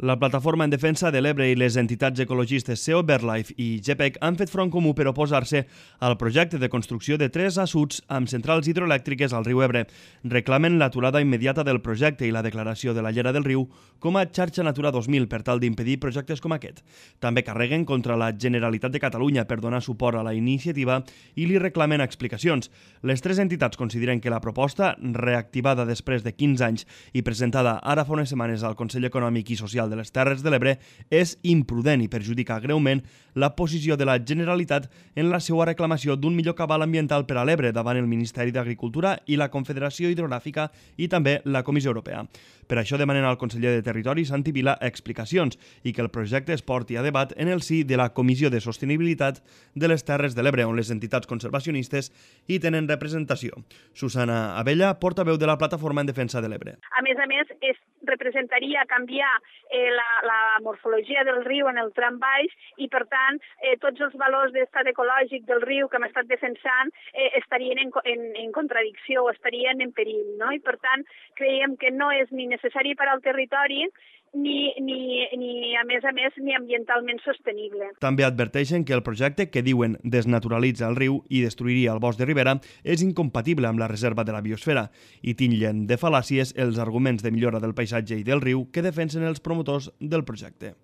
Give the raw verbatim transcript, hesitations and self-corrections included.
La Plataforma en Defensa de l'Ebre i les entitats ecologistes C E O BirdLife i G P E C han fet front comú per oposar-se al projecte de construcció de tres assuts amb centrals hidroelèctriques al riu Ebre. Reclamen l'aturada immediata del projecte i la declaració de la llera del riu com a xarxa Natura dos mil per tal d'impedir projectes com aquest. També carreguen contra la Generalitat de Catalunya per donar suport a la iniciativa i li reclamen explicacions. Les tres entitats consideren que la proposta, reactivada després de quinze anys i presentada ara fa unes setmanes al Consell Econòmic i Social de les Terres de l'Ebre, és imprudent i perjudica greument la posició de la Generalitat en la seva reclamació d'un millor cabal ambiental per a l'Ebre davant el Ministeri d'Agricultura i la Confederació Hidrogràfica i també la Comissió Europea. Per això demanen al conseller de Territori, Santi Vila, explicacions i que el projecte es porti a debat en el si de la Comissió de Sostenibilitat de les Terres de l'Ebre, on les entitats conservacionistes hi tenen representació. Susana Abella, portaveu de la Plataforma en Defensa de l'Ebre. A més a més, es representaria canviar eh, la, la morfologia del riu en el tram baix i, per tant, eh, tots els valors d'estat ecològic del riu que hem estat defensant eh, estarien en, en, en contradicció o estarien en perill, no? I, per tant, creiem que no és ni necessari per al territori ni, ni, ni, a més a més, ni ambientalment sostenible. També adverteixen que el projecte, que diuen desnaturalitza el riu i destruiria el bosc de ribera, és incompatible amb la reserva de la biosfera i titllen de fal·làcies els arguments de millora del paisatge i del riu que defensen els promotors del projecte.